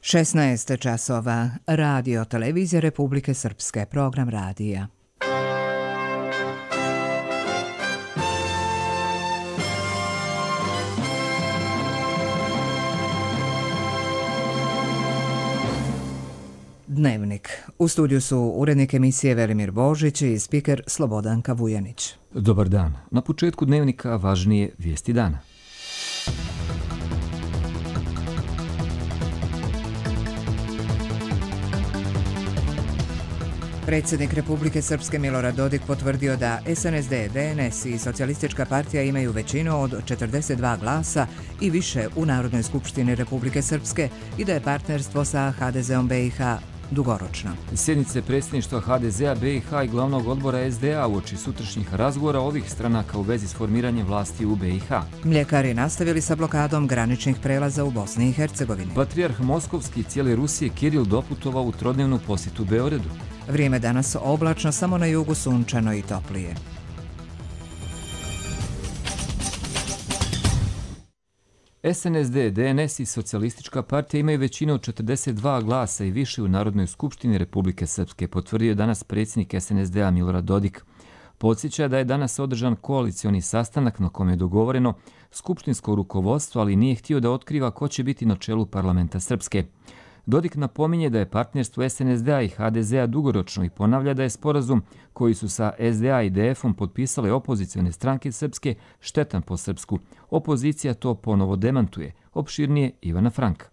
16 časova. Radio Televizija Republike Srpske. Program radija. Dnevnik. U studiju su urednik emisije Velimir Božić i spiker Slobodanka Vujanić. Dobar dan. Na početku dnevnika važnije vijesti dana. Predsjednik Republike Srpske Milorad Dodik potvrdio da SNSD, DNS i Socijalistička partija imaju većinu od 42 glasa i više u Narodnoj skupštini Republike Srpske i da je partnerstvo sa HDZ-om BiH dugoročno. Sjednice predsjedništva HDZ-a BiH i glavnog odbora SDA uoči sutrašnjih razgovora ovih stranaka u vezi s formiranjem vlasti u BiH. Mljekari nastavili sa blokadom graničnih prelaza u Bosni i Hercegovini. Patrijarh Moskovski i cijele Rusije Kiril doputovao u trodnevnu posjetu Beogradu. Vrijeme danas oblačno, samo na jugu sunčano i toplije. SNSD, DNS i Socijalistička partija imaju većinu od 42 glasa i više u Narodnoj skupštini Republike Srpske, potvrdio je danas predsjednik SNSD-a Milorad Dodik. Podsjeća da je danas održan koalicioni sastanak na kome je dogovoreno skupštinsko rukovodstvo, ali nije htio da otkriva ko će biti na čelu parlamenta Srpske. Dodik napominje da je partnerstvo SNSD-a i HDZ-a dugoročno i ponavlja da je sporazum koji su sa SDA i DF-om potpisale opozicione stranke Srpske štetan po Srpsku. Opozicija to ponovo demantuje. Opširnije Ivana Franka.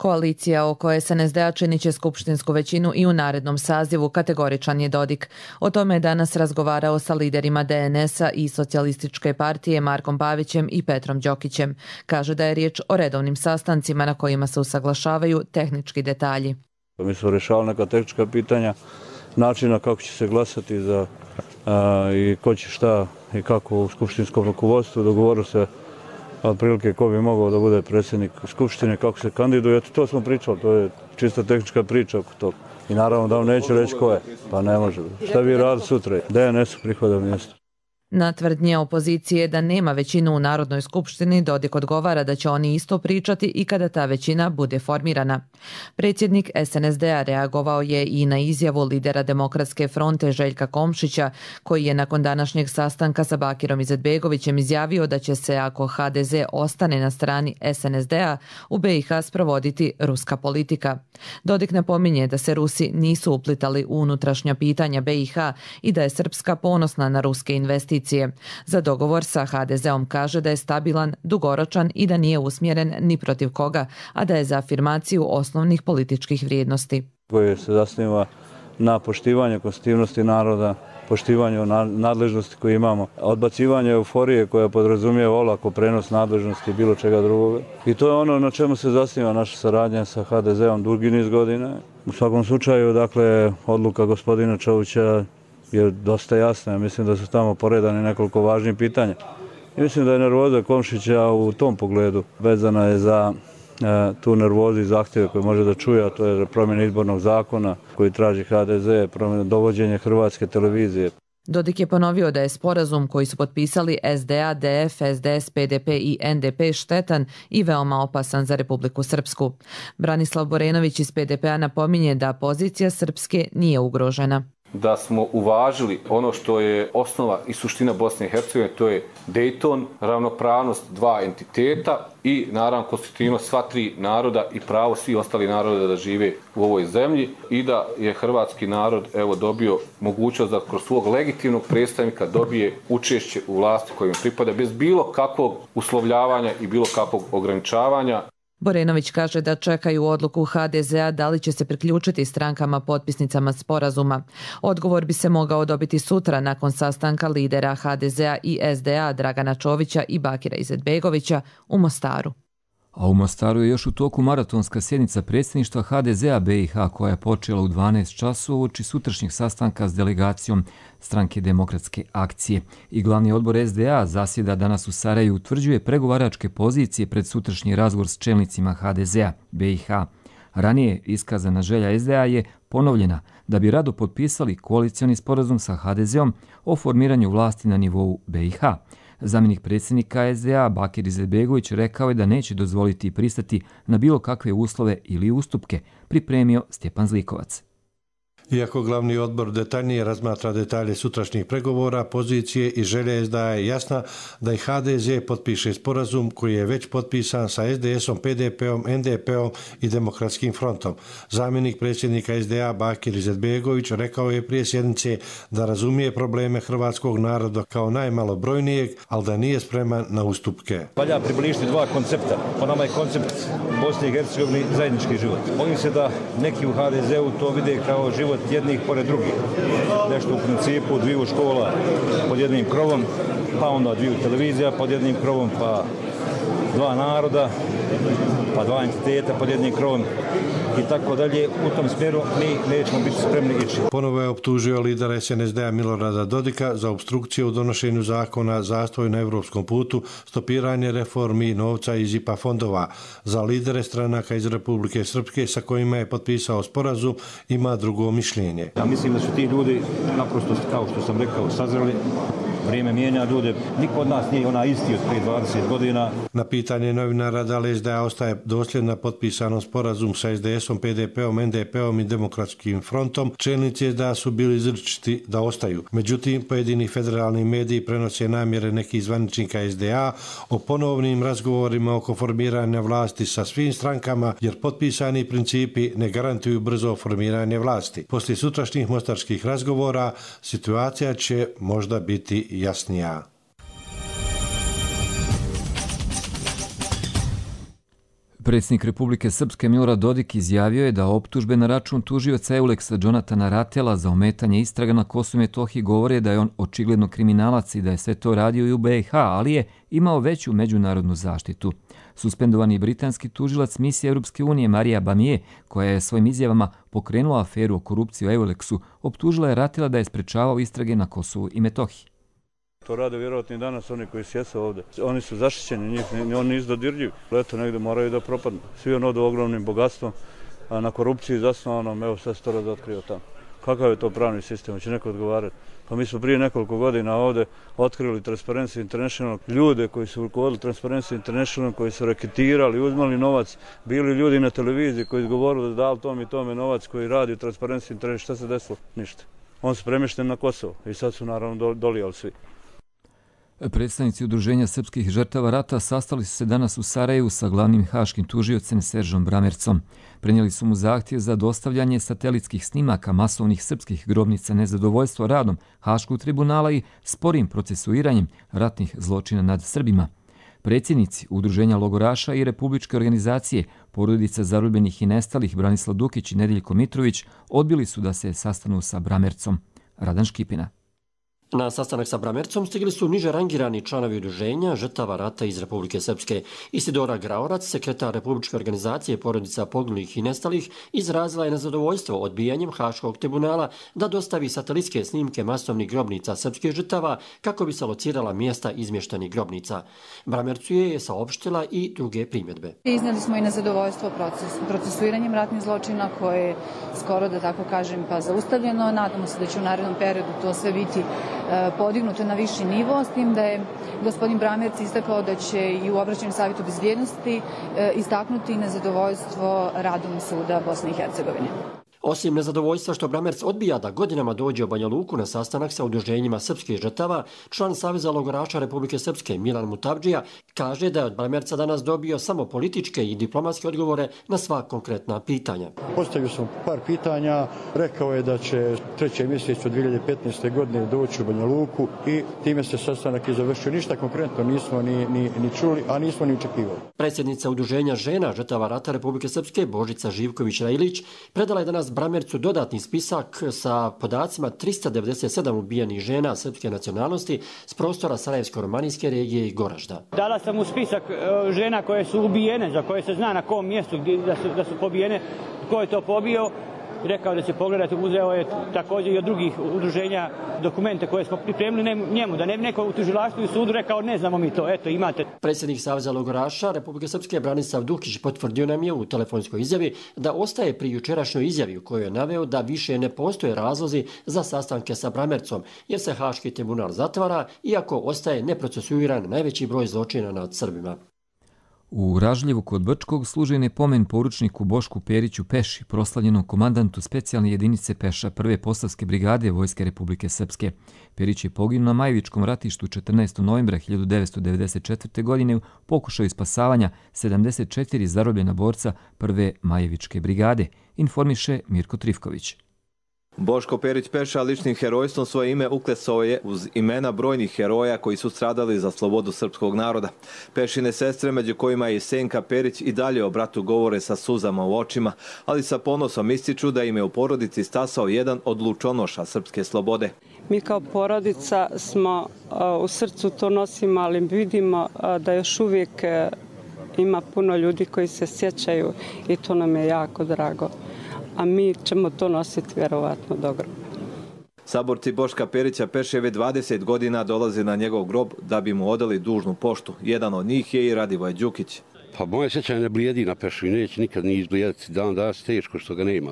Koalicija oko SNSD-a činit će skupštinsku većinu i u narednom sazivu, kategoričan je Dodik. O tome je danas razgovarao sa liderima DNS-a i Socijalističke partije Markom Pavićem i Petrom Đokićem. Kaže da je riječ o redovnim sastancima na kojima se usaglašavaju tehnički detalji. Mi smo rješavali neka tehnička pitanja, načina kako će se glasati i ko će šta i kako u skupštinskom rukovodstvu. Dogovorili se otprilike ko bi mogao da bude predsjednik skupštine, kako se kandiduje. Eto, to smo pričali, to je čista tehnička priča oko toga. I naravno da vam neću reći ko je, pa ne može. Šta bi radili sutra? DNS-u prihoda mjesto. Na tvrdnje opozicije da nema većinu u Narodnoj skupštini, Dodik odgovara da će oni isto pričati i kada ta većina bude formirana. Predsjednik SNSD-a reagovao je i na izjavu lidera Demokratske fronte Željka Komšića, koji je nakon današnjeg sastanka sa Bakirom Izetbegovićem izjavio da će se, ako HDZ ostane na strani SNSD-a, u BiH sprovoditi ruska politika. Dodik napominje da se Rusi nisu uplitali u unutrašnja pitanja BiH i da je Srpska ponosna na ruske investicije. Za dogovor sa HDZ-om kaže da je stabilan, dugoročan i da nije usmjeren ni protiv koga, a da je za afirmaciju osnovnih političkih vrijednosti. Koje se zasniva na poštivanju konstitutivnosti naroda, poštivanju nadležnosti koje imamo, odbacivanje euforije koja podrazumijeva olako prenos nadležnosti bilo čega drugoga. I to je ono na čemu se zasniva naša saradnja sa HDZ-om dugi niz godina. U svakom slučaju, dakle, odluka gospodina Čovića je dosta jasna. Mislim da su tamo poredane nekoliko važnih pitanja. I mislim da je nervoza Komšića u tom pogledu vezana je za tu nervozu i zahtjeve koje može da čuje, a to je promjena izbornog zakona koji traži HDZ, dovođenje Hrvatske televizije. Dodik je ponovio da je sporazum koji su potpisali SDA, DF, SDS, PDP i NDP štetan i veoma opasan za Republiku Srpsku. Branislav Borenović iz PDP-a napominje da pozicija Srpske nije ugrožena. Da smo uvažili ono što je osnova i suština Bosne i Hercegovine, to je Dayton, ravnopravnost dva entiteta i naravno konstitutivnost sva tri naroda i pravo svih ostalih naroda da žive u ovoj zemlji i da je hrvatski narod dobio mogućnost da kroz svog legitimnog predstavnika dobije učešće u vlasti kojim pripada bez bilo kakvog uslovljavanja i bilo kakvog ograničavanja. Borenović kaže da čekaju odluku HDZ-a da li će se priključiti strankama potpisnicama sporazuma. Odgovor bi se mogao dobiti sutra nakon sastanka lidera HDZ-a i SDA Dragana Čovića i Bakira Izetbegovića u Mostaru. A u Mostaru je još u toku maratonska sjednica predsjedništva HDZ-a BiH koja je počela u 12 časova uoči sutrašnjeg sastanka s delegacijom Stranke demokratske akcije. I glavni odbor SDA zasjeda danas u Sarajevu, utvrđuje pregovaračke pozicije pred sutrašnji razgovor s čelnicima HDZ-a BiH. Ranije iskazana želja SDA je ponovljena da bi rado potpisali koalicioni sporazum sa HDZ-om o formiranju vlasti na nivou BiH. Zamjenik predsjednika SDA Bakir Izetbegović rekao je da neće dozvoliti i pristati na bilo kakve uslove ili ustupke, pripremio Stjepan Zlikovac. Iako glavni odbor detaljnije razmatra detalje sutrašnjih pregovora, pozicije i želje SDA je jasna da i HDZ potpiše sporazum koji je već potpisan sa SDS-om, PDP-om, NDP-om i Demokratskim frontom. Zamjenik predsjednika SDA Bakir Izetbegović rekao je prije sjednice da razumije probleme hrvatskog naroda kao najmalobrojnijeg, ali da nije spreman na ustupke. Valja približiti dva koncepta. Po nama je koncept Bosne i Hercegovine zajednički život. Bojim se da neki u HDZ-u to vide kao život jednih pored drugih. Nešto u principu dviju škola pod jednim krovom, pa onda dviju televizija pod jednim krovom, pa dva naroda, pa dva entiteta pod jednim krovom i tako dalje. U tom smjeru mi nećemo biti spremni ići. Ponovo je optužio lidera SNSD-a Milorada Dodika za obstrukciju u donošenju zakona, zastoj na evropskom putu, stopiranje reformi novca iz IPA fondova. Za lidere stranaka iz Republike Srpske sa kojima je potpisao sporazum ima drugo mišljenje. Ja mislim da su ti ljudi naprosto, kao što sam rekao, sazreli. Vrijeme mijenja ljude. Niko od nas nije ona isti od prije 20 godina. Na pitanje novinara da li SDA ostaje dosljedna potpisanom sporazum sa SDS-om, PDP-om, NDP-om i Demokratskim frontom, čelnici SDA su bili izričiti da ostaju. Međutim, pojedini federalni mediji prenose namjere nekih zvaničnika SDA o ponovnim razgovorima oko formiranja vlasti sa svim strankama, jer potpisani principi ne garantuju brzo formiranje vlasti. Poslije sutrašnjih mostarskih razgovora situacija će možda biti jasnija. Predsjednik Republike Srpske Milorad Dodik izjavio je da optužbe na račun tužioca Euleksa Džonatana Ratela za ometanje istraga na Kosovu i Metohiji govore da je on očigledno kriminalac i da je sve to radio i u BiH, ali je imao veću međunarodnu zaštitu. Suspendovani britanski tužilac misije Europske unije Marija Bamije, koja je svojim izjavama pokrenula aferu o korupciji u Euleksu, optužila je Ratela da je sprečavao istrage na Kosovu i Metohiji. To rade vjerojatno i danas oni koji sjese ovdje. Oni su zaštićeni, oni nisu dodirljivi. Leto negdje moraju da propadnu. Svi on odu ogromnim bogatstvom, a na korupciji zasnovanom, evo sad se to razotkrio tamo. Kakav je to pravni sistem, hoće neko odgovarati? Pa mi smo prije nekoliko godina ovdje otkrili Transparency International, ljude koji su rukovodili Transparency International, koji su reketirali, uzmali novac, bili ljudi na televiziji koji su govorili da dali tom i tome novac koji radi Transparency International. Šta se desilo? Ništa. On su premješteni na Kosovo i sad su naravno dolijali svi. Predstavnici Udruženja srpskih žrtava rata sastali su se danas u Sarajevu sa glavnim haškim tužiocem Seržom Bramercom. Prenijeli su mu zahtjev za dostavljanje satelitskih snimaka masovnih srpskih grobnica, nezadovoljstvo radom Haškog tribunala i sporim procesuiranjem ratnih zločina nad Srbima. Predsjednici Udruženja logoraša i Republičke organizacije Porodica zarobljenih i nestalih Branislav Dukić i Nedeljko Mitrović odbili su da se sastanu sa Bramercom. Radan Škipina. Na sastanak sa Bramercom stigli su niže rangirani članovi Udruženja žrtava rata iz Republike Srpske. Isidora Graorac, sekretar Republičke organizacije Porodica poginulih i nestalih, izrazila je nezadovoljstvo odbijanjem Haškog tribunala da dostavi satelitske snimke masovnih grobnica srpskih žrtava kako bi se locirala mjesta izmještenih grobnica. Bramercu je saopštila i druge primjedbe. Iznijeli smo i nezadovoljstvo procesuiranjem ratnih zločina koje je skoro, da tako kažem, pa zaustavljeno. Nadamo se da će u narednom periodu to sve biti podignuto na viši nivo, s tim da je gospodin Bramerc istakao da će i u obraćanju Savjetu bezbjednosti istaknuti nezadovoljstvo radom suda Bosne i Hercegovine. Osim nezadovoljstva što Bramerc odbija da godinama dođe u Banja Luku na sastanak sa udruženjima srpskih žrtava, član Saveza logoraša Republike Srpske Milan Mutabdžija kaže da je od Bramerca danas dobio samo političke i diplomatske odgovore na sva konkretna pitanja. Postavio sam par pitanja, rekao je da će 3. mjesecu 2015. godine doći u Banja Luku i time se sastanak i završio. Ništa konkretno nismo ni čuli, a nismo ni očekivali. Predsjednica Udruženja žena žrtava rata Republike Srpske Božica Živković-Rajlić predala je danas Bramercu dodatni spisak sa podacima 397 ubijenih žena srpske nacionalnosti s prostora Sarajevsko-romanijske regije i Goražda. Dala sam mu spisak žena koje su ubijene, za koje se zna na kom mjestu da su pobijene, tko je to pobio rekao da će pogledati, uzeo je također i od drugih udruženja dokumente koje smo pripremili njemu, da ne bi neko u tužilaštvu i sudu rekao ne znamo mi to, eto imate. Predsjednik Saveza logoraša Republike Srpske Branislav Dukić potvrdio nam je u telefonskoj izjavi da ostaje pri jučerašnjoj izjavi u kojoj je naveo da više ne postoje razlozi za sastanke sa Bramercom, jer se Haški tribunal zatvara, iako ostaje neprocesuiran najveći broj zločina nad Srbima. U Ražljevu kod Brčkog služen je pomen poručniku Bošku Periću Peši, proslavljenom komandantu specijalne jedinice Peša 1. Posavske brigade Vojske Republike Srpske. Perić je poginuo na Majevičkom ratištu 14. novembra 1994. godine u pokušaju spasavanja 74 zarobljena borca 1. Majevičke brigade, informiše Mirko Trifković. Boško Perić Peša ličnim herojstvom svoje ime uklesao je uz imena brojnih heroja koji su stradali za slobodu srpskog naroda. Pešine sestre, među kojima je i Senka Perić, i dalje o bratu govore sa suzama u očima, ali sa ponosom ističu da im je u porodici stasao jedan od lučonoša srpske slobode. Mi kao porodica smo u srcu to nosimo, ali vidimo da još uvijek ima puno ljudi koji se sjećaju i to nam je jako drago. A mi ćemo to nositi vjerovatno do groba. Saborci Boška Perića Peševe 20 godina dolaze na njegov grob da bi mu odali dužnu poštu. Jedan od njih je i Radivoj Đukić. Pa moje sjećanje ne blijedi na Pešu i neće nikad ni izblijediti. Dan danas teško što ga nema.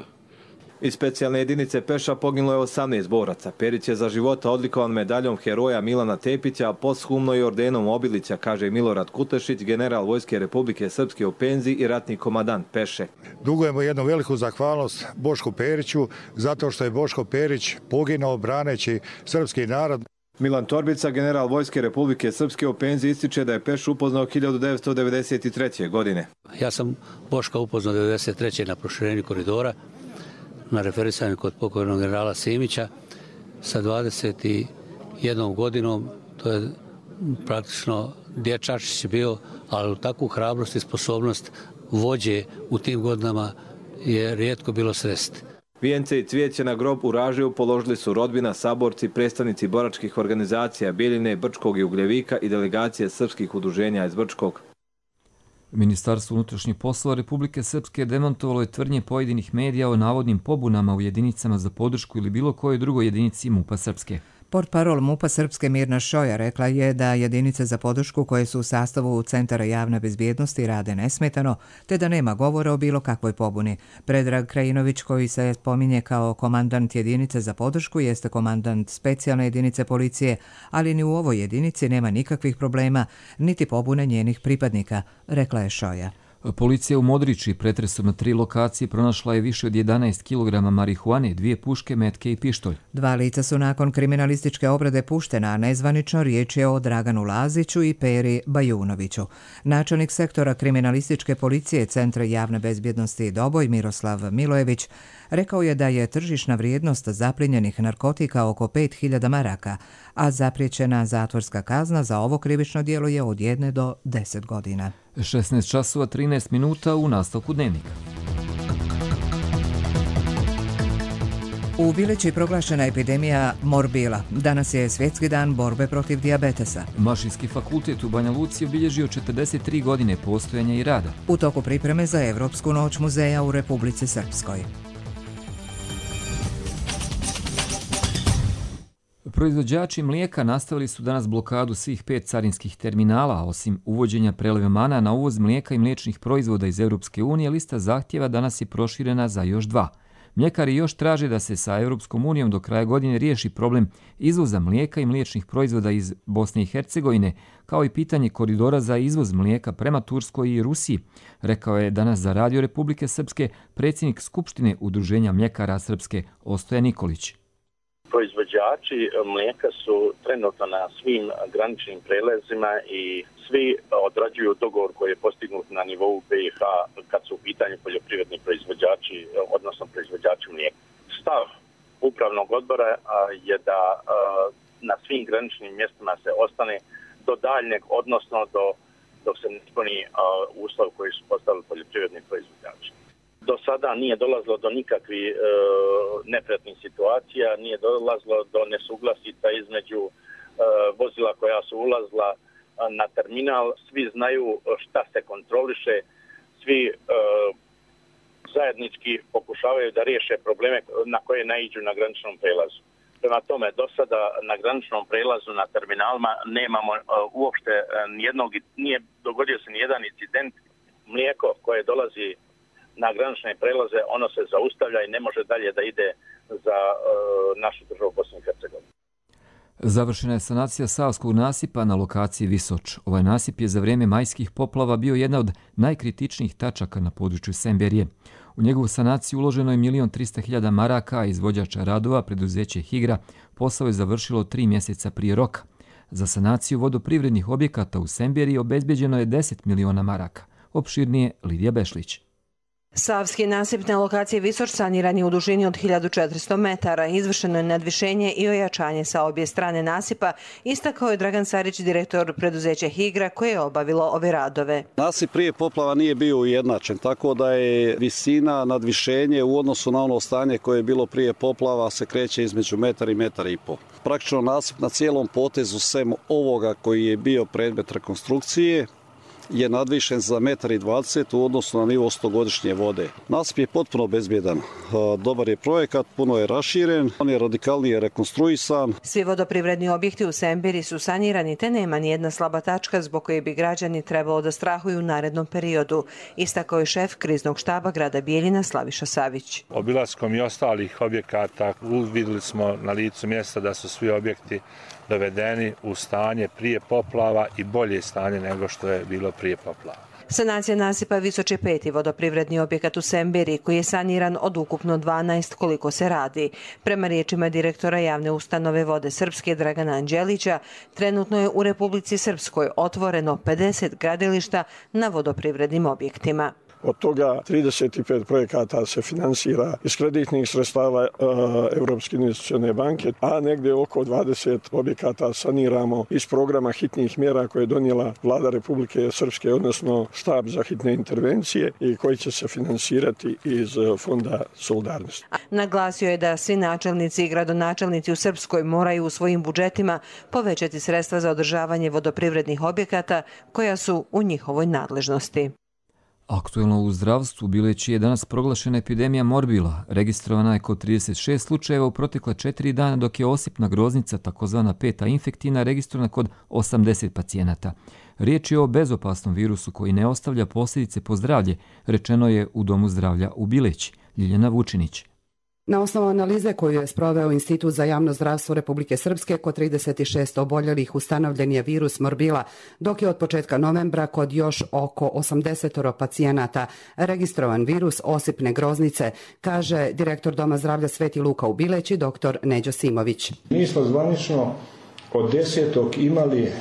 Iz specijalne jedinice Peša poginulo je 18 boraca. Perić je za života odlikovan medaljom heroja Milana Tepića, a posthumno i ordenom Obilića, kaže Milorad Kutešić, general Vojske Republike Srpske u penziji i ratni komandant Peše. Dugujemo jednu veliku zahvalnost Bošku Periću zato što je Boško Perić poginuo braneći srpski narod. Milan Torbica, general Vojske Republike Srpske u penziji, ističe da je Pešu upoznao 1993. godine. Ja sam Boška upoznao 1993. na proširenju koridora, na referisanju kod pokojnog generala Simića sa 21 godinom. To je praktično dječačić bio, ali u takvu hrabrost i sposobnost vođe u tim godinama je rijetko bilo sresti. Vijence i cvijeće na grob u Ražljevu položili su rodbina, saborci, predstavnici boračkih organizacija Bjeljine, Brčkog i Ugljevika i delegacije srpskih udruženja iz Brčkog. Ministarstvo unutrašnjih poslova Republike Srpske demantovalo je tvrdnje pojedinih medija o navodnim pobunama u jedinicama za podršku ili bilo kojoj drugoj jedinici MUP-a Srpske. Portparol MUP-a Srpske Mirna Šoja rekla je da jedinice za podršku koje su u sastavu Centara javne bezbjednosti rade nesmetano, te da nema govora o bilo kakvoj pobuni. Predrag Krajinović, koji se spominje kao komandant jedinice za podršku, jeste komandant specijalne jedinice policije, ali ni u ovoj jedinici nema nikakvih problema, niti pobune njenih pripadnika, rekla je Šoja. Policija u Modriči pretresom na 3 lokacije pronašla je više od 11 kg marihuane, 2 puške, metke i pištolj. 2 lica su nakon kriminalističke obrade puštena, a nezvanično riječ je o Draganu Laziću i Peri Bajunoviću. Načelnik sektora kriminalističke policije Centra javne bezbjednosti Doboj Miroslav Milojević rekao je da je tržišna vrijednost zapljenjenih narkotika oko 5.000 maraka, a zapriječena zatvorska kazna za ovo krivično djelo je od 1 do 10 godina. 16 časova 13 minuta u nastavku dnevnika. U Bileći proglašena epidemija morbila. Danas je svjetski dan borbe protiv dijabetesa. Mašinski fakultet u Banja Luci obilježio 43 godine postojanja i rada. U toku pripreme za Evropsku noć muzeja u Republici Srpskoj. Proizvođači mlijeka nastavili su danas blokadu svih 5 carinskih terminala, osim uvođenja prelevmana na uvoz mlijeka i mliječnih proizvoda iz Europske unije, lista zahtjeva danas je proširena za još 2. Mljekari još traže da se sa Europskom unijom do kraja godine riješi problem izvoza mlijeka i mliječnih proizvoda iz Bosne i Hercegovine, kao i pitanje koridora za izvoz mlijeka prema Turskoj i Rusiji, rekao je danas za Radio Republike Srpske predsjednik Skupštine Udruženja mljekara Srpske Ostoja Nikolić. Proizvođači mlijeka su trenutno na svim graničnim prelazima i svi odrađuju dogovor koji je postignut na nivou BiH kad su u pitanju poljoprivredni proizvođači, odnosno proizvođači mlijeka. Stav upravnog odbora je da na svim graničnim mjestima se ostane do daljnjeg, odnosno dok se ne ispuni uslov koji su postavili poljoprivredni proizvođači. Do sada nije dolazilo do nikakvih neprijatnih situacija, nije dolazilo do nesuglasica između vozila koja su ulazila na terminal. Svi znaju šta se kontroliše, svi zajednički pokušavaju da riješe probleme na koje naiđu na graničnom prelazu. Prema tome, do sada na graničnom prelazu na terminalima nemamo uopšte nijednog, nije dogodio se nijedan incident. Mlijeko koje dolazi na granične prelaze, ono se zaustavlja i ne može dalje da ide za našu državu Bosnu i Hercegovinu. Završena je sanacija Savskog nasipa na lokaciji Visoč. Ovaj nasip je za vrijeme majskih poplava bio jedna od najkritičnijih tačaka na području Semberije. U njegovu sanaciju uloženo je 1.300.000 maraka, a izvođača radova, preduzeće Higra, posao je završilo 3 mjeseca prije roka. Za sanaciju vodoprivrednih objekata u Semberiji obezbeđeno je 10 miliona maraka. Opširnije Lidija Bešlić. Savski nasip na lokaciji Visoč saniran je u dužini od 1400 metara. Izvršeno je nadvišenje i ojačanje sa obje strane nasipa, istakao je Dragan Sarić, direktor preduzeća Higra, koje je obavilo ove radove. Nasip prije poplava nije bio ujednačen, tako da je visina nadvišenje u odnosu na ono stanje koje je bilo prije poplava se kreće između metar i metar i pol. Praktično nasip na cijelom potezu sem ovoga koji je bio predmet rekonstrukcije je nadvišen za 1,20 m u odnosu na nivo 100-godišnje vode. Nasip je potpuno bezbjedan. Dobar je projekat, puno je raširen, on je radikalnije rekonstruisan. Svi vodoprivredni objekti u Sembiri su sanirani, te nema nijedna slaba tačka zbog koje bi građani trebalo da strahuju u narednom periodu, istakao je šef kriznog štaba grada Bijeljina Slaviša Savić. Obilaskom i ostalih objekata uvidjeli smo na licu mjesta da su svi objekti dovedeni u stanje prije poplava i bolje stanje nego što je bilo prije poplava. Sanacija nasipa Visoč je 5. vodoprivredni objekat u Semberi koji je saniran od ukupno 12 koliko se radi. Prema riječima direktora javne ustanove Vode Srpske Dragana Anđelića, trenutno je u Republici Srpskoj otvoreno 50 gradilišta na vodoprivrednim objektima. Od toga 35 projekata se finansira iz kreditnih sredstava Europske investicione banke, a negdje oko 20 objekata saniramo iz programa hitnih mjera koje je donijela Vlada Republike Srpske, odnosno štab za hitne intervencije i koji će se finansirati iz Fonda solidarnosti. Naglasio je da svi načelnici i gradonačelnici u Srpskoj moraju u svojim budžetima povećati sredstva za održavanje vodoprivrednih objekata koja su u njihovoj nadležnosti. Aktuelno u zdravstvu u Bileći je danas proglašena epidemija morbila. Registrovana je kod 36 slučajeva u protekla 4 dana, dok je osipna groznica, takozvana peta infektivna, registrovana kod 80 pacijenata. Riječ je o bezopasnom virusu koji ne ostavlja posljedice po zdravlje, rečeno je u Domu zdravlja u Bileći. Ljiljana Vučinić. Na osnovu analize koju je sproveo Institut za javno zdravstvo Republike Srpske, kod 36 oboljelih ustanovljen je virus morbila, dok je od početka novembra kod još oko 80 pacijenata registrovan virus osipne groznice, kaže direktor Doma zdravlja Sveti Luka u Bileći, dr. Neđo Simović. Mi smo zvanično od 10. imali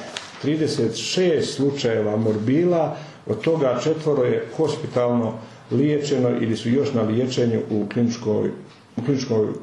36 slučajeva morbila, od toga 4 je hospitalno liječeno ili su još na liječenju u kliničkoj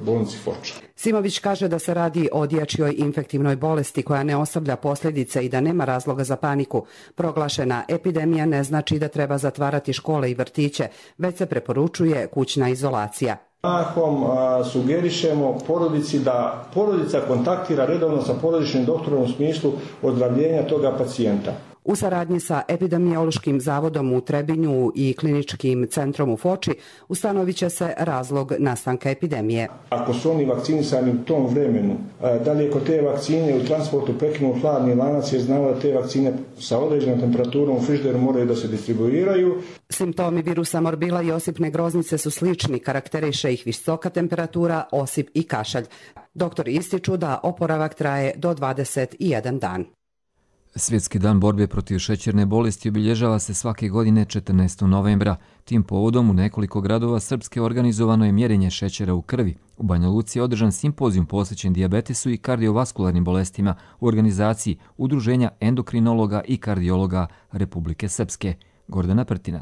bolnici Foča. Simović kaže da se radi o dječjoj infektivnoj bolesti koja ne ostavlja posljedice i da nema razloga za paniku. Proglašena epidemija ne znači da treba zatvarati škole i vrtiće, već se preporučuje kućna izolacija. Mahom sugerišemo porodici da porodica kontaktira redovno sa porodičnim doktorom u smislu ozdravljenja toga pacijenta. U saradnji sa epidemiološkim zavodom u Trebinju i kliničkim centrom u Foči ustanovit će se razlog nastanka epidemije. Ako su oni vakcinisani u tom vremenu, da li je kod te vakcine u transportu prekinut hladni lanac, jer znamo da te vakcine sa određenom temperaturom u frižideru moraju da se distribuiraju. Simptomi virusa morbila i osipne groznice su slični, karakteriše ih visoka temperatura, osip i kašalj. Doktori ističu da oporavak traje do 21 dan. Svjetski dan borbe protiv šećerne bolesti obilježava se svake godine 14. novembra. Tim povodom u nekoliko gradova Srpske organizovano je mjerenje šećera u krvi. U Banja Luci je održan simpozijum posvećen dijabetesu i kardiovaskularnim bolestima u organizaciji Udruženja endokrinologa i kardiologa Republike Srpske. Gordana Prtina.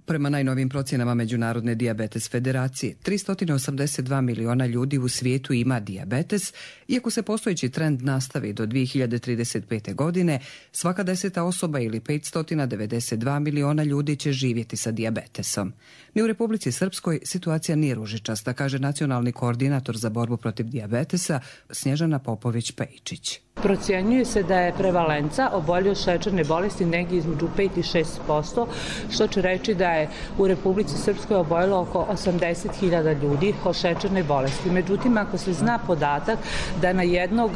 Prema najnovim procjenama Međunarodne dijabetes federacije, 382 miliona ljudi u svijetu ima dijabetes, iako se postojeći trend nastavi do 2035. godine, svaka 10. osoba ili 592 miliona ljudi će živjeti sa dijabetesom. Ni u Republici Srpskoj situacija nije ružičasta, kaže nacionalni koordinator za borbu protiv dijabetesa Snježana Popović-Pejičić. Procjenjuje se da je prevalenca obolje od šećerne bolesti negdje između 5 i 6%, što će reći da je u Republici Srpskoj oboljelo oko 80.000 ljudi od šećerne bolesti. Međutim, ako se zna podatak da na jednog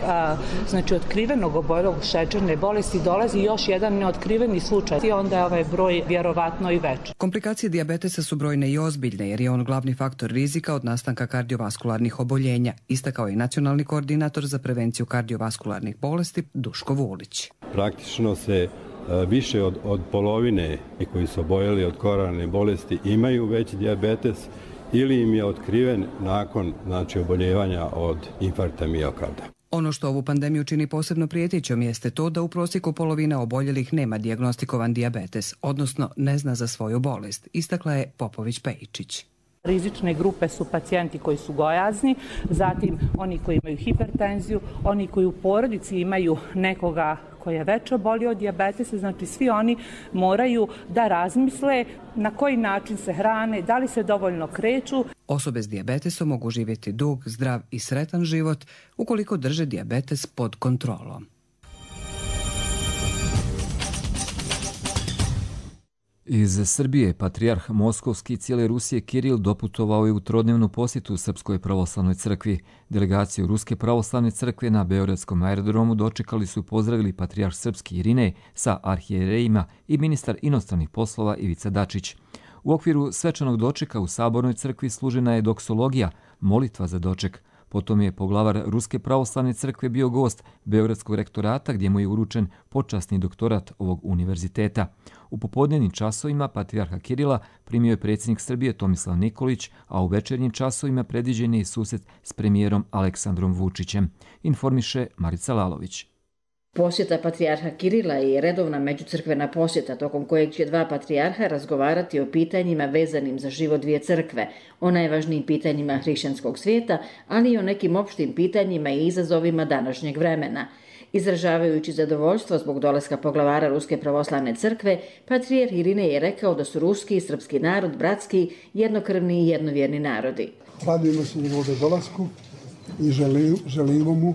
otkrivenog oboljelog od šećerne bolesti dolazi još jedan neotkriveni slučaj, onda je ovaj broj vjerovatno i veći. Komplikacije dijabetesa su brojne i ozbiljne jer je on glavni faktor rizika od nastanka kardiovaskularnih oboljenja, istakao je nacionalni koordinator za prevenciju kardiovaskularnih bolesti Duško Vulić. Praktično se više od polovine koji su oboljeli od koronarne bolesti imaju veći dijabetes ili im je otkriven nakon oboljevanja od infarkta miokarda. Ono što ovu pandemiju čini posebno prijetećom jeste to da u prosjeku polovina oboljelih nema dijagnostikovan dijabetes, odnosno ne zna za svoju bolest, istakla je Popović Pejičić. Rizične grupe su pacijenti koji su gojazni, zatim oni koji imaju hipertenziju, oni koji u porodici imaju nekoga koji je već obolio od dijabetesa, znači svi oni moraju da razmisle na koji način se hrane, da li se dovoljno kreću. Osobe s dijabetesom mogu živjeti dug, zdrav i sretan život ukoliko drže dijabetes pod kontrolom. Iz Srbije patrijarh Moskovski i cijele Rusije Kiril doputovao je u trodnevnu posjetu Srpskoj pravoslavnoj crkvi. Delegaciju Ruske pravoslavne crkve na Beogradskom aerodromu dočekali su i pozdravili patrijarh Srpski Irinej sa arhijerejima i ministar inostranih poslova Ivica Dačić. U okviru svečanog dočeka u Sabornoj crkvi služena je doksologija, molitva za doček. Potom je poglavar Ruske pravoslavne crkve bio gost Beogradskog rektorata gdje mu je uručen počasni doktorat ovog univerziteta. U popodnevnim časovima patrijarha Kirila primio je predsjednik Srbije Tomislav Nikolić, a u večernjim časovima predviđen je i susret s premijerom Aleksandrom Vučićem, informiše Marica Lalović. Posjeta patrijarha Kirila je redovna međucrkvena posjeta tokom kojeg će dva patrijarha razgovarati o pitanjima vezanim za život dvije crkve, o najvažnijim pitanjima hrišćanskog svijeta, ali i o nekim opštim pitanjima i izazovima današnjeg vremena. Izražavajući zadovoljstvo zbog dolaska poglavara Ruske pravoslavne crkve, patrijarh Irinej je rekao da su ruski i srpski narod bratski, jednokrvni i jednovjerni narodi. Radujemo se njegovom dolasku i želimo mu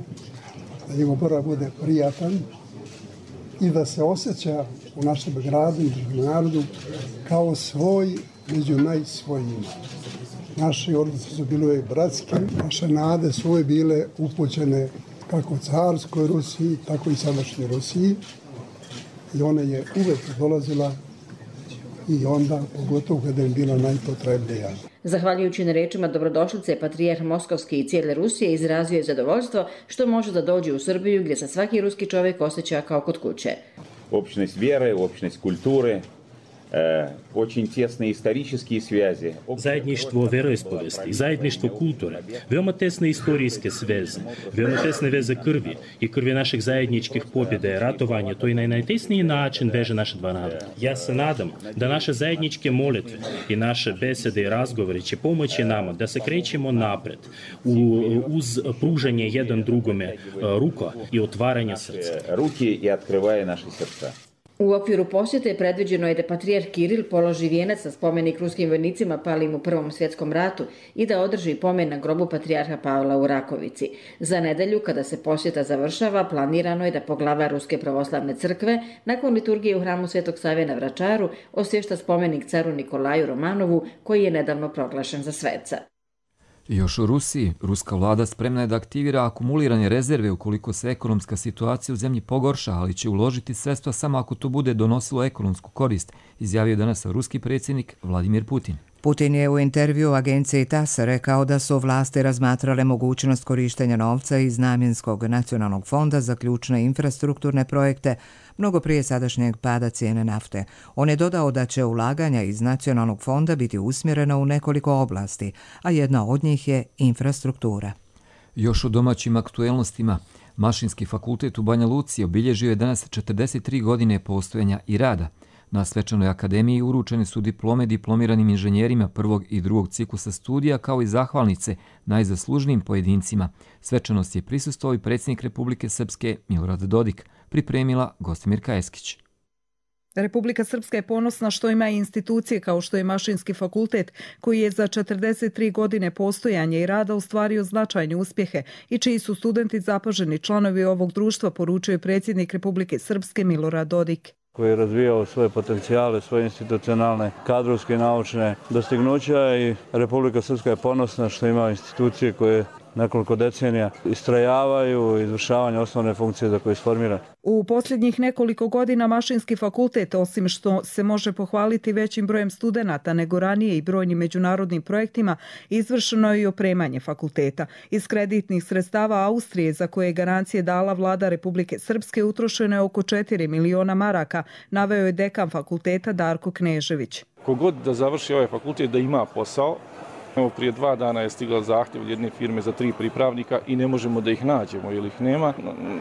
da njegov boravak bude prijatan i da se osjeća u našem gradu i našem narodu kao svoj među najsvojima. Naši odnosi su bili bratski, naše nade su uvijek bile upućene kako carskoj Rusiji, tako i sadašnjoj Rusiji i ona je uvijek dolazila i onda pogotovo kada je bila najpotrebnija. Zahvaljujući na rečima dobrodošlice, patrijarh Moskovski i cijele Rusije izrazio je zadovoljstvo što može da dođe u Srbiju gdje se svaki ruski čovjek osjeća kao kod kuće. Общность веры, общность культуры, очень тесные исторические связи. Zajedništvo veroispovesti, zajedništvo kulture, veoma tesne istorijske sveze, veoma tesne veze krvi i krvi naših zajedničkih pobjeda i ratovanja, to i na najtesniji način veže naše dva naroda. Ja se nadam da naše zajedničke molitve i naše besede i razgovori će pomoći nama da se krećemo napred uz pružanje jedan drugome ruka i otvaranje srca. Ruki i otkrivaje naše srca. U okviru posjete predviđeno je da patrijarh Kiril položi vijenac na spomenik ruskim vojnicima palim u Prvom svjetskom ratu i da održi pomen na grobu patrijarha Pavla u Rakovici. Za nedelju, kada se posjeta završava, planirano je da poglavar Ruske pravoslavne crkve nakon liturgije u hramu Svetog Save na Vračaru osvješta spomenik caru Nikolaju Romanovu, koji je nedavno proglašen za sveca. Još u Rusiji, ruska vlada spremna je da aktivira akumulirane rezerve ukoliko se ekonomska situacija u zemlji pogorša, ali će uložiti sredstva samo ako to bude donosilo ekonomsku korist, izjavio danas ruski predsjednik Vladimir Putin. Putin je u intervju agenciji TASS rekao da su vlasti razmatrale mogućnost korištenja novca iz namjenskog nacionalnog fonda za ključne infrastrukturne projekte mnogo prije sadašnjeg pada cijene nafte. On je dodao da će ulaganja iz nacionalnog fonda biti usmjerena u nekoliko oblasti, a jedna od njih je infrastruktura. Još u domaćim aktuelnostima, Mašinski fakultet u Banja Luci obilježio je danas 43 godine postojanja i rada. Na svečanoj akademiji uručene su diplome diplomiranim inženjerima prvog i drugog ciklusa studija kao i zahvalnice najzaslužnijim pojedincima. Svečanost je prisustvovao i predsjednik Republike Srpske Milorad Dodik, pripremila Gostimirka Eskić. Republika Srpska je ponosna što ima institucije kao što je Mašinski fakultet, koji je za 43 godine postojanja i rada ostvario značajne uspjehe i čiji su studenti zapaženi članovi ovog društva, poručio je predsjednik Republike Srpske Milorad Dodik, koji je razvijao svoje potencijale, svoje institucionalne, kadrovske i naučne dostignuća i Republika Srpska je ponosna što ima institucije koje nekoliko decenija istrajavaju izvršavanje osnovne funkcije za koje je sformiran. U posljednjih nekoliko godina Mašinski fakultet, osim što se može pohvaliti većim brojem studenata nego ranije i brojnim međunarodnim projektima, izvršeno je i opremanje fakulteta. Iz kreditnih sredstava Austrije, za koje je garancije dala vlada Republike Srpske, utrošeno je oko 4 miliona maraka, naveo je dekan fakulteta Darko Knežević. Kogod da završi ovaj fakultet da ima posao, evo prije 2 dana je stigao zahtjev od jedne firme za 3 pripravnika i ne možemo da ih nađemo ili ih nema.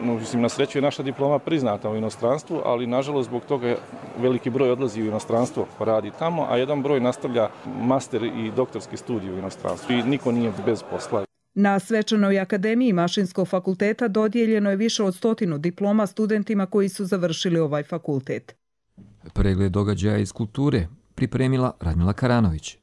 Mislim, na sreću je naša diploma priznata u inostranstvu, ali nažalost zbog toga veliki broj odlazi u inostranstvo pa radi tamo, a jedan broj nastavlja master i doktorski studij u inostranstvu i niko nije bez posla. Na svečanoj akademiji Mašinskog fakulteta dodijeljeno je više od 100 diploma studentima koji su završili ovaj fakultet. Pregled događaja iz kulture pripremila Radmila Karanović.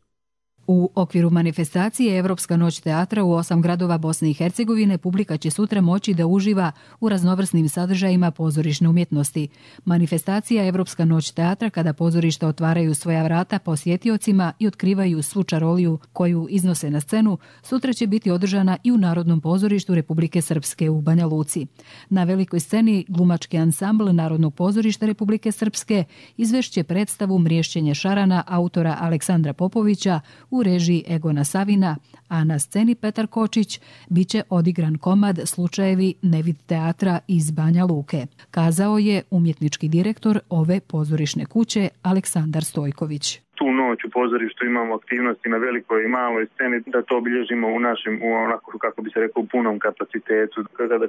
U okviru manifestacije Evropska noć teatra u 8 gradova Bosne i Hercegovine publika će sutra moći da uživa u raznovrsnim sadržajima pozorišne umjetnosti. Manifestacija Evropska noć teatra, kada pozorišta otvaraju svoja vrata posjetiocima i otkrivaju svu čaroliju koju iznose na scenu, sutra će biti održana i u Narodnom pozorištu Republike Srpske u Banja Luci. Na velikoj sceni glumački ansambl Narodnog pozorišta Republike Srpske izvešće predstavu Mriješćenje šarana autora Aleksandra Popovića u režiji Egona Savina, a na sceni Petar Kočić biće odigran komad Slučajevi Nevid teatra iz Banja Luke, kazao je umjetnički direktor ove pozorišne kuće Aleksandar Stojković. Tu noć u pozorištu imamo aktivnosti na velikoj i maloj sceni, da to obilježimo u našem, onako kako bi se rekao, u punom kapacitetu.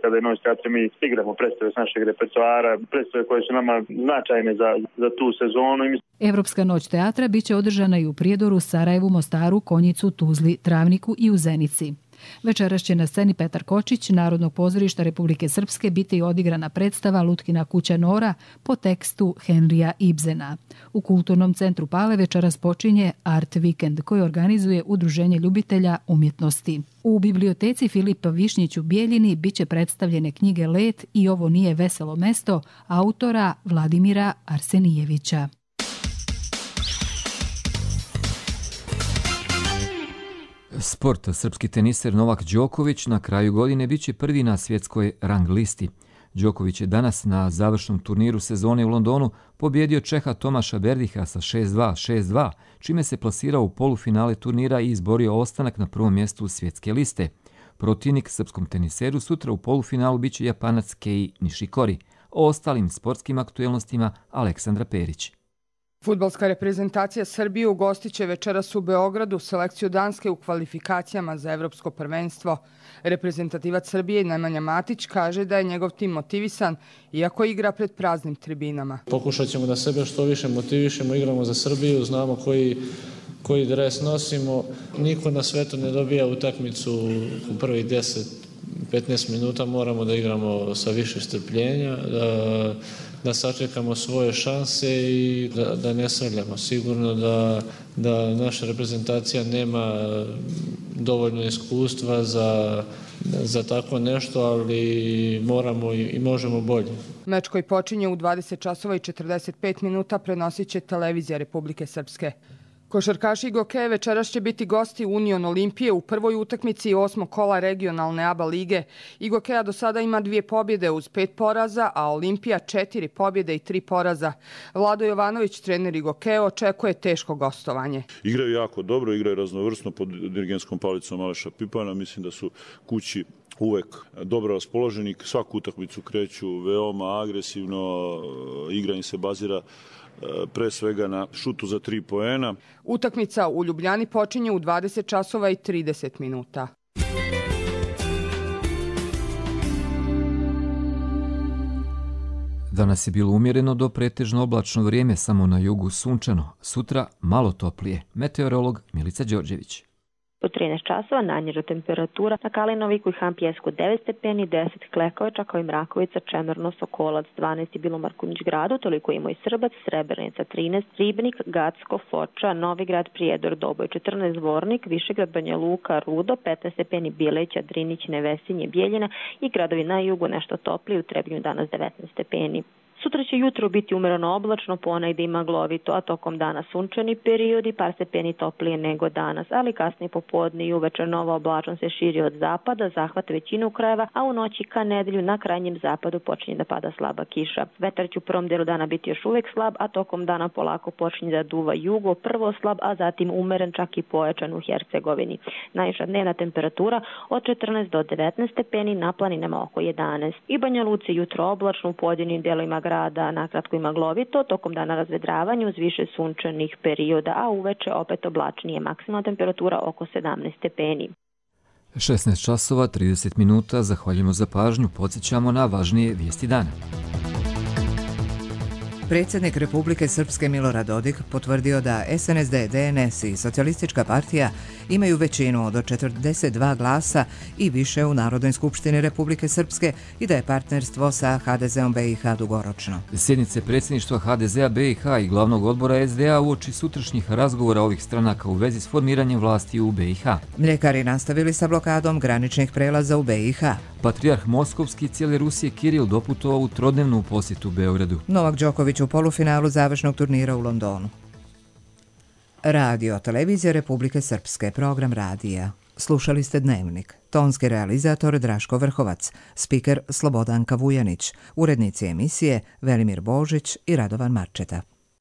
Kada je noć teatra mi igramo predstave s našeg repertoara, predstave koje su nama značajne za tu sezonu. Evropska noć teatra biće održana i u Prijedoru, Sarajevu, Mostaru, Konjicu, Tuzli, Travniku i u Zenici. Večeras će na sceni Petar Kočić, Narodnog pozorišta Republike Srpske, biti odigrana predstava Lutkina kuća Nora po tekstu Henrija Ibsena. U Kulturnom centru Pale večeras počinje Art Weekend koji organizuje Udruženje ljubitelja umjetnosti. U biblioteci Filipa Višnjić u Bijeljini biće predstavljene knjige Let i Ovo nije veselo mesto autora Vladimira Arsenijevića. Sport. Srpski teniser Novak Đoković na kraju godine biće prvi na svjetskoj rang listi. Đoković je danas na završnom turniru sezone u Londonu pobjedio Čeha Tomaša Berdiha sa 6-2, 6-2, čime se plasirao u polufinale turnira i izborio ostanak na prvom mjestu svjetske liste. Protivnik srpskom teniseru sutra u polufinalu biće Japanac Kei Nishikori. O ostalim sportskim aktuelnostima Aleksandra Perić. Fudbalska reprezentacija Srbije ugostit će večeras u Beogradu selekciju Danske u kvalifikacijama za evropsko prvenstvo. Reprezentativac Srbije Nemanja Matić kaže da je njegov tim motivisan, iako igra pred praznim tribinama. Pokušat ćemo da sebe što više motivišemo, igramo za Srbiju, znamo koji dres nosimo. Niko na svetu ne dobija utakmicu u prvih 10-15 minuta, moramo da igramo sa više strpljenja, da sačekamo svoje šanse i da ne srljamo. Sigurno da naša reprezentacija nema dovoljno iskustva za tako nešto, ali moramo i možemo bolje. Meč koji počinje u 20 časova i 45 minuta prenosit će televizija Republike Srpske. Košarkaši Igokeje večeras će biti gosti Union Olimpije u prvoj utakmici 8. kola regionalne ABA lige. Igokeja do sada ima 2 pobjede uz 5 poraza, a Olimpija 4 pobjede i 3 poraza. Vlado Jovanović, trener Igokeje, očekuje teško gostovanje. Igraju jako dobro, igraju raznovrsno pod dirigentskom palicom Aleša Pipana. Mislim da su kući uvek dobro raspoloženi. Svaku utakmicu kreću veoma agresivno, igra im se bazira pre svega na šutu za 3 poena. Utakmica u Ljubljani počinje u 20 časova i 30 minuta. Danas je bilo umjereno do pretežno oblačno vrijeme, samo na jugu sunčano. Sutra malo toplije. Meteorolog Milica Đorđević. U 13 časova najniža temperatura na Kalinoviku i Hampjesku 9 stepeni, 10 Klekovača kao i Mrakovica, Čemerno, Sokolac 12 i Bilomar Kunjić gradu, toliko ima i Srbac, Srebrenica 13, Ribnik, Gacko, Foča, Novigrad, Prijedor, Doboj 14, Zvornik, Višegrad, Banja Luka, Rudo 15 stepeni, Bileća, Drinić, Nevesinje, Bijeljina i gradovi na jugu nešto topliji, u Trebinju danas 19 stepeni. Sutra će jutro biti umereno oblačno, ponegde i maglovito, a tokom dana sunčani periodi, par stepeni toplije nego danas, ali kasnije popodne i uveče nova oblačnost se širi od zapada, zahvata većinu krajeva, a u noći ka nedelju na krajnjem zapadu počinje da pada slaba kiša. Vetar će u prvom delu dana biti još uvek slab, a tokom dana polako počinje da duva jugo, prvo slab, a zatim umeren, čak i pojačan u Hercegovini. Najviša dnevna temperatura od 14 do 19 stepeni, na planinama oko 11. I Banja Luci jutro oblačno, u pojedinim delovima grada nakratko i maglovito, tokom dana razvedravanje uz više sunčanih perioda, a uveče opet oblačnije, maksimalna temperatura oko 17 stepeni. 16 časova 30 minuta, zahvaljujemo za pažnju, podsjećamo na važnije vijesti dana. Predsjednik Republike Srpske Milorad Dodik potvrdio da SNSD, DNS i Socijalistička partija imaju većinu od 42 glasa i više u Narodnoj skupštini Republike Srpske i da je partnerstvo sa HDZ-om BiH dugoročno. Sjednice predsjedništva HDZ-a BiH i glavnog odbora SDA uoči sutrašnjih razgovora ovih stranaka u vezi s formiranjem vlasti u BiH. Mljekari nastavili sa blokadom graničnih prelaza u BiH. Patrijarh Moskovski cijele Rusije Kiril doputovao u trodnevnu posjetu Beogradu. Novak Đoković u polufinalu završnog turnira u Londonu. Radio Televizija Republike Srpske, program radija. Slušali ste Dnevnik. Tonski realizator Draško Vrhovac, spiker Slobodanka Vujanić, urednici emisije Velimir Božić i Radovan Marčeta.